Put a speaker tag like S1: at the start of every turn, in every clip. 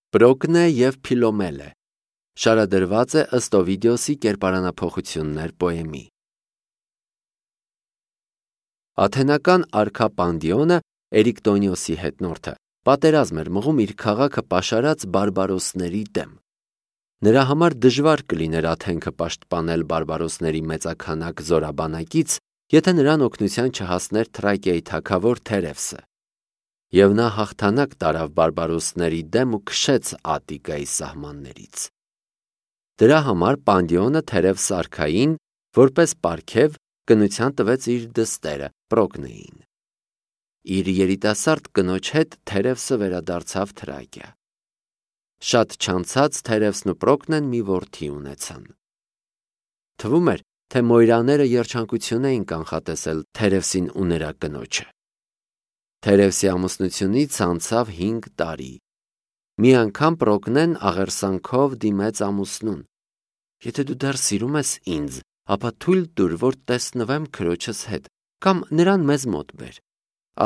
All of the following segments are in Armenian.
S1: Պրոկնե և Փիլոմելե շարադրված է ըստ Օվիդիոսի կերպարանափոխություններ պոեմի։ Աթենական արքա Պանդիոնը, Էրիկտոնիոսի հետնորդը, պատերազմ էր մղում իր քաղաքը պաշարած բարբարոսների դեմ։ Նրա համար դժվար կլիներ Աթենքը պաշտպանել բարբարոսների մեծաքանակ զորաբանակից, եթե նրան օգնության չհասներ Թրակիայի թագավոր Թերևսը։ Եվ նա հաղթանակ տարավ բարբարոսների դեմ ու քշեց Ատտիկայի սահմաններից։ Դրա համար Պանդիոնը Թերևս արքային, որպես պարգև, կնության տվեց իր դստերը Պրոկնեին։ Իր երիտասարդ կնոջ հետ Թերևսը վերադարձավ Թրակիա։ Շատ չանցած Թերևսն ու Պրոկնեն մի որդի ունեցան։ Թվում էր, թե մոյրաները երջանկություն էին կանխատեսել Թերևսին ու նրա կնոջը։ Թերևսի ամուսնությունից անցավ 5 տարի։ Մի անգամ Պրոկնեն աղերսանքով դիմեց ամուսնուն. «Եթե դու դեռ սիրում ես ինձ, ապա թույլ տուր, որ տեսնվեմ քրոջս հետ, կամ նրան մեզ մոտ բեր։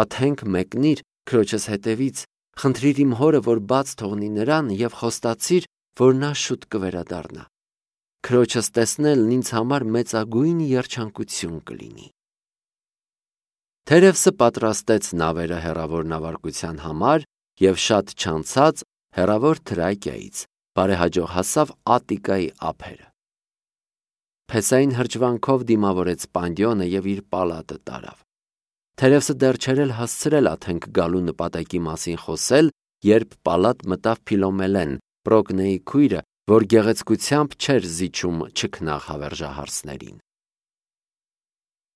S1: Աթենք մեկնիր քրոջս հետևից, խնդրիր իմ հորը, որ բաց թողնի նրան, և խոստացիր, որ նա շուտ կվերադառնա։ Քրոջս տեսնելն ինձ համար մեծագույն երջանկություն կլինի»։ Թերևսը պատրաստեց նավերը հեռավոր նավարկության համար և շատ չանցած հեռավոր Թրակիայից բարեհաջող հասավ Ատտիկայի ափերը։ Փեսային հրճվանքով դիմավորեց Պանդիոնը և իր պալատը տարավ։ Թերևսը դեռ չէր էլ հասցրել Աթենք գալու նպատակի մասին խոսել, երբ պալատ մտավ Փիլոմելեն, Պրոկնեի քույրը, որ գեղեցկությամբ չէր զիջում չքնաղ հավերժահարսներին։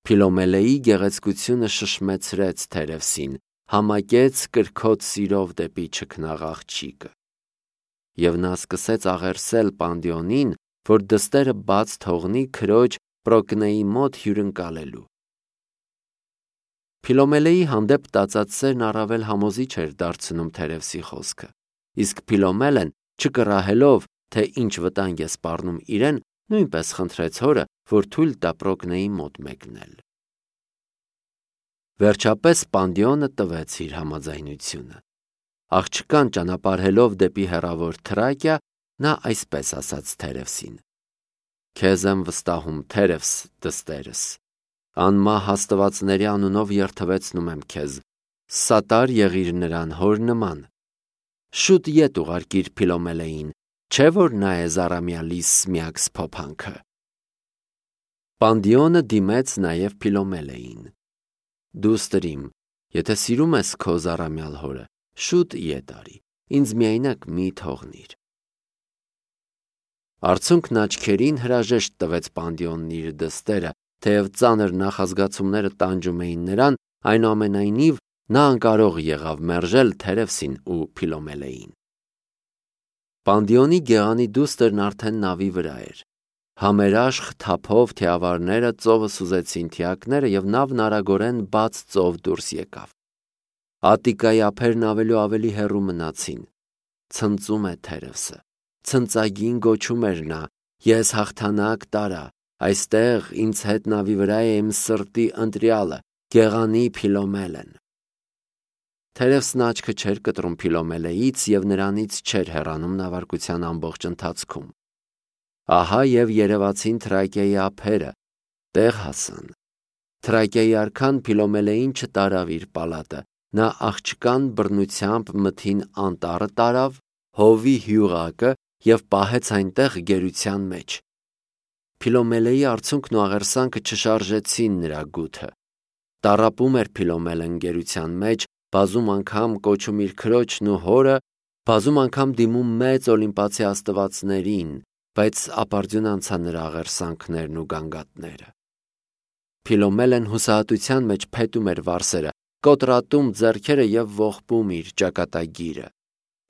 S1: Փիլոմելեի գեղեցկությունը շշմեցրեց Թերևսին, համակեց կրքոտ սիրով դեպի չքնաղ աղջիկը։ Եվ նա սկսեց աղերսել Պանդիոնին, որ դստերը բաց թողնի քրոջ Պրոկնեի մոտ հյուրընկալելու։ Փիլոմելեի հանդեպ տածած սերն առավել համոզիչ էր դարձնում Թերևսի խոսքը, իսկ Փիլոմելեն, չկռահելով, թե ինչ վտանգ է սպառնում իրեն, նույնպես խնդրեց հորը, որ թույլ տա Պրոկնեի մոտ մեկնել։ Վերջապես Պանդիոնը տվեց իր համաձայնությունը։ Աղջկան ճանապարհելով դեպի հեռավոր Թրակիա, նա այսպես ասաց Թերևսին. «Քեզ եմ վստահում, Թերևս, դստերս, անմահ աստվածների անունով երդվեցնում եմ քեզ, սատար եղիր նրան հոր նման։ Շուտ ետ ուղարկիր Փիլոմելեին, չէ՞ որ նա է զառամյալիս միակ սփոփանքը»։ Պանդիոնը դիմեց նաև Փիլոմելեին. «Դուստր իմ, եթե սիրում ես քո զառամյալ հորը, շուտ ետ արի, ինձ միայնակ մի թողնիր»։ Արցունքն աչքերին հրաժեշտ տվեց Պանդիոնն իր դստերը, թեև ծանր նախազգացումները տանջում էին նրան, այնուամենայնիվ նա անկարող եղավ մերժել Թերևսին ու Փիլոմելեին։ Պանդիոնի գեղանի դուստրն արդեն նավի վրա էր։ Համերաշխ թափով թիավարները ծովը սուզեցին թիակները, և նավն արագորեն բաց ծով դուրս եկավ։ Ատտիկայի ափերն ավելի հեռու մնացին։ Ցնծում է Թերևսը, ցնծագին գոչում էր նա. «Ես հաղթանակ տարա, այստեղ ինձ հետ նավի վրա է իմ սրտի ընտրյալը, գեղանի Փիլոմելեն»։ Թերևսն աչքը չէր կտրում Փիլոմելեից և նրանից չէր հեռանում նավարկության ամբողջ ընթացքում։ Ահա և երևացին Թրակիայի ափերը, տեղ հասան։ Թրակիայի արքան Փիլոմելեին չտարավ իր պալատը, նա աղջկան բռնությամբ մթին անտառը տարավ, հովի հյուրակը և պահեց այնտեղ գերության մեջ։ Փիլոմելեի արցունքն ու աղերսանքը չշարժեցին նրա գութը։ Տառապում էր Փիլոմելեն գերության մեջ, բազում անգամ կոչում իր քրոջն ու հորը, բազում անգամ դիմում մեծ օլիմպացի աստվածներին, բայց ապարդյուն անցան նրա աղերսանքներն ու գանգատները։ Փիլոմելեն հուսահատության մեջ փետում էր վարսերը, կոտրատում ձեռքերը և ողբում իր ճակատագիրը։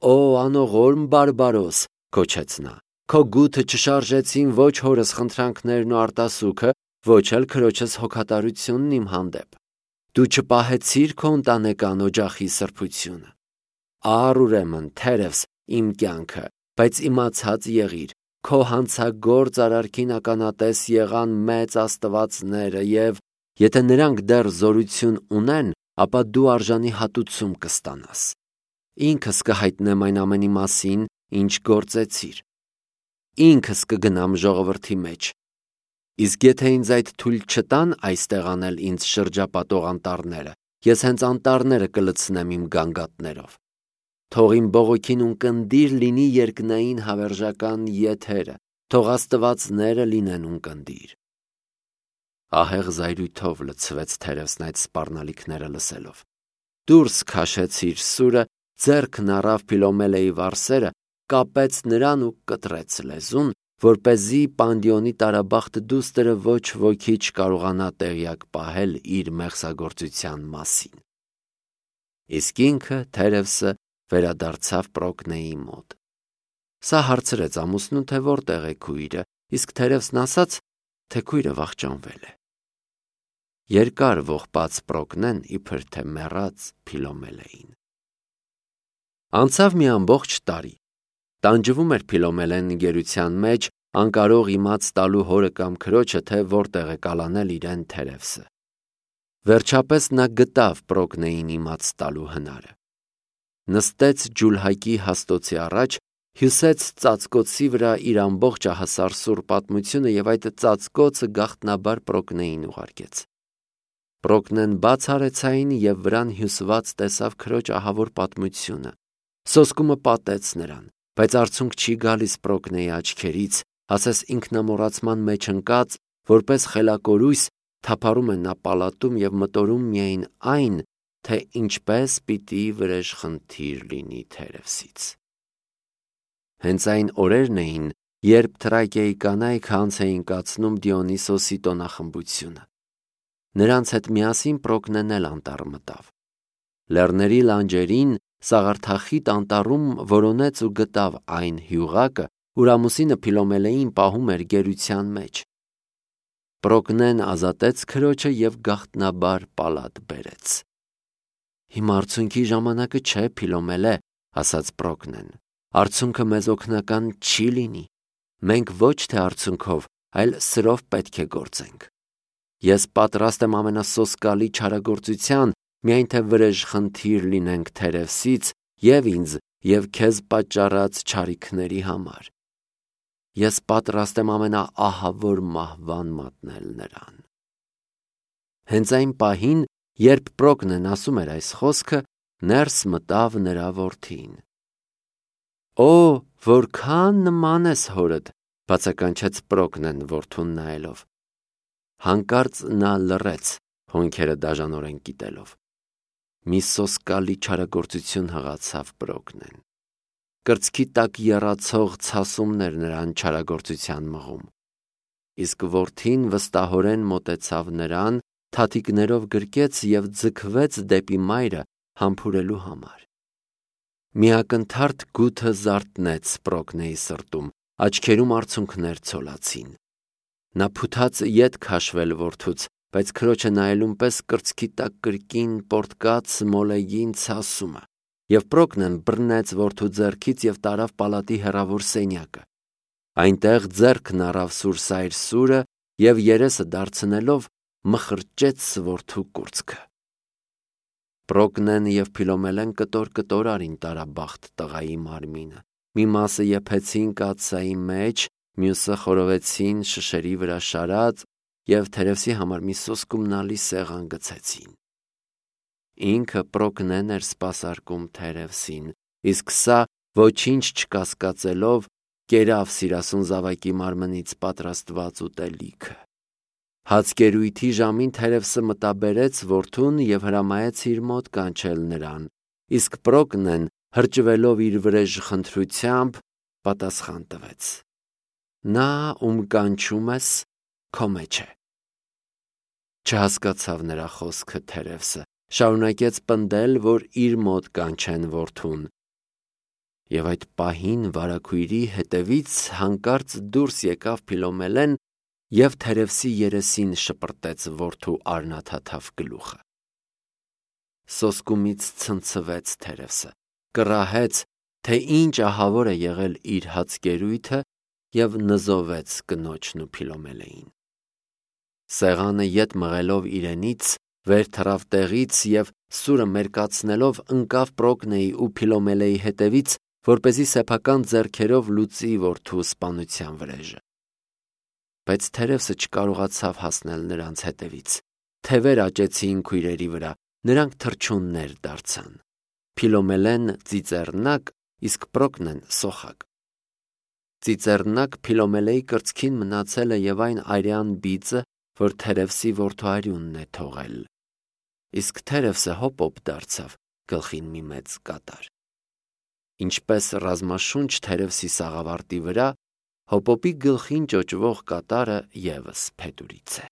S1: «Օ անողորմ բարբարոս», գոչեց նա, «քո գութը չշարժեցին ոչ հորս խնդրանքներն ու արտասուքը, ոչ էլ քրոջս հոգատարությունն իմ հանդեպ։ Դու չպահեցիր քո ընտանեկան օջախի սրբությունը։ Առ ուրեմն, Թերևս, իմ կյանքը, բայց իմացած եղիր, քո հանցագործ արարքին ականատես եղան մեծ աստվածները, և եթե նրանք դեռ զորություն ունեն, ապա դու արժանի հատուցում կստանաս։ Ինքս կհայտնեմ այն ամենի մասին, ինչ գործեցիր։ Ինքս կգնամ ժողովրդի մեջ։ Իսկ եթե ինձ այդ թույլ չտան այստեղ անել ինձ շրջապատող անտառները, ես հենց անտառները կլցնեմ իմ գանգատներով։ Թող իմ բողոքին ունկնդիր լինի երկնային հավերժական եթերը, թող աստվածները լինեն ունկնդիր։ Ահեղ զայրույթով լցվեց Թերևսն այդ սպառնալիքները լսելով։ Դուրս քաշեց իր սուրը, ձեռքն առավ Փիլոմելեի վարսերը, կապեց նրան ու կտրեց լեզուն, որպեսզի Պանդիոնի տարաբախտ դուստրը ոչ ոքի չկարողանա տեղյակ պահել իր մեղսագործության մասին։ Իսկ ինքը, Թերևսը, վերադարձավ Պրոկնեի մոտ։ Սա հարցրեց ամուսնուն, թե որտեղ է քույրը, իսկ Թերևսն ասաց, թե քույրը վախճանվել է։ Երկար ողբաց Պրոկնեն իբր թե մեռած Փիլոմելեին։ Անցավ մի ամբողջ տարի։ Տանջվում էր Փիլոմելեն գերության մեջ, անկարող իմաց տալու հորը կամ քրոջը, թե որտեղ է կալանել իրեն Թերևսը։ Վերջապես նա գտավ Պրոկնեին իմաց տալու հնարը։ Նստեց ջուլհակի հաստոցի առաջ, հյուսեց ծածկոցի վրա իր ամբողջ ահասարսուռ պատմությունը և այդ ծածկոցը գաղտնաբար Պրոկնեին ուղարկեց։ Պրոկնեն բաց արեց այն և վրան հյուսված տեսավ քրոջ ահավոր պատմությունը։ Սոսկումը պատեց նրան, բայց արցունք չի գալիս Պրոկնեի աչքերից, ասես ինքնամոռացման մեջ ընկած, որպես խելակորույս թափառում է նա պալատում և մտորում միայն այն, թե ինչպես պիտի վրեժխնդիր լինի Թերևսից։ Հենց այն օրերն էին, երբ Թրակիայի կանայք անց էին կացնում Դիոնիսոսի տոնախմբությունը։ Նրանց հետ միասին Պրոկնեն էլ անտառ մտավ։ Լեռների լանջերին սաղարթախիտ անտառում որոնեց ու գտավ այն հյուղակը, ուր ամուսինը Փիլոմելեին պահում էր գերության մեջ։ Պրոկնեն ազատեց քրոջը և գաղտնաբար պալատ բերեց։ Հիմա արցունքի ժամանակը չէ, Փիլոմելե, ասաց Պրոկնեն։ Արցունքը մեզ օգնական չի լինի։ Մենք ոչ թե արցունքով, այլ սրով պետք է գործենք։ Ես պատրաստ եմ ամենասոսկալի չարագործության, միայն թե վրեժխնդիր լինենք Թերևսից և ինձ, և քեզ պատճառած չարիքների համար։ Ես պատրաստ եմ ամենաահավոր մահվան մատնել նրան։ Հենց այն պահին, երբ Պրոկնեն ասում էր այս խոսքը, ներս մտավ նրա որդին։ Օ, որքան նման ես հորդ, բացականչեց Պրոկնեն որդուն նայելով։ Հանկարծ նա լռեց, հոնքերը դաժանորեն կիտելով։ Մի սոսկալի չարագործություն հղացավ Պրոկնեն։ Կրծքի տակ եռացող ցասումներ նրան չարագործության մղում։ Իսկ որդին վստահորեն մոտեցավ նրան, թաթիկներով գրկեց և ձգվեց դեպի մայրը համբուրելու համար։ Մի ակնթարթ գութը զարթնեց Պրոկնեի սրտում, աչքերում արցունքներ ցոլացին։ Նա փութաց ետ քաշվել որդուց, բայց քրոջը նայելուն պես կրծքի տակ կրկին պոռթկաց մոլեգին ցասումը, և Պրոկնեն բռնեց որդու ձեռքից և տարավ պալատի հեռավոր սենյակը։ Այնտեղ ձեռքն առավ սուրսայր սուրը և երեսը դարձնելով մխրճեց որդու կուրծքը։ Պրոկնեն և Փիլոմելեն կտոր արին տարաբախտ տղայի մարմինը։ Մի մասը եփեցին կաթսայի մեջ, մյուսը խորովեցին շշերի վրա շարած և Թերևսի համար մի սոսկումնալի սեղան գցեցին։ Ինքը Պրոկնեն էր սպասարկում Թերևսին, իսկ սա ոչինչ չկասկածելով կերավ սիրասուն զավակի մարմնից պատրաստված ուտելիքը։ Հացկերույթի ժամին Թերևսը մտաբերեց որդուն և հրամայեց իր մոտ կանչել նրան, իսկ Պրոկնեն, հրճվելով իր վրեժխնդրությամբ, պատասխան տվեց. Նա, ում կանչում ես, քո մեջ է։ Չհասկացավ նրա խոսքը Թերևսը, շարունակեց պնդել, որ իր մոտ կանչեն որդուն։ Եվ այդ պահին վարագույրի հետևից հանկարծ դուրս եկավ Փիլոմելեն և Թերևսի երեսին շպրտեց որդու արնաթաթավ գլուխը։ Սոսկումից ցնցվեց Թերևսը, կռահեց, թե ինչ ահավոր է եղել իր հացկերույթը և նզովեց կնոջն ու Փիլոմելեին։ Սեղանը ետ մղելով իրենից, վեր թռավ տեղից և սուրը մերկացնելով ընկավ Պրոկնեի ու Փիլոմելեի հետևից, որպեսզի սեփական ձեռքերով լուծի որդու սպանության վրեժը։ Բայց թերևսը չկարողացավ հասնել նրանց հետևից։ Թևեր աճեցին քույրերի վրա, նրանք թռչուններ դարձան։ Փիլոմելեն ծիծեռնակ, իսկ Պրոկնեն սոխակ։ Ծիծեռնակ Փիլոմելեի կրծքին մնացել է և այն արյան բիծը, որ թերևսի որդու է թողել, իսկ թերևսը հոպոպ դարձավ գլխին մի մեծ կատար։ Ինչպես ռազմաշունչ թերևսի սաղավարտի վրա, հոպոպի գլխին ճոճվող կատարը ևս փետուրից է։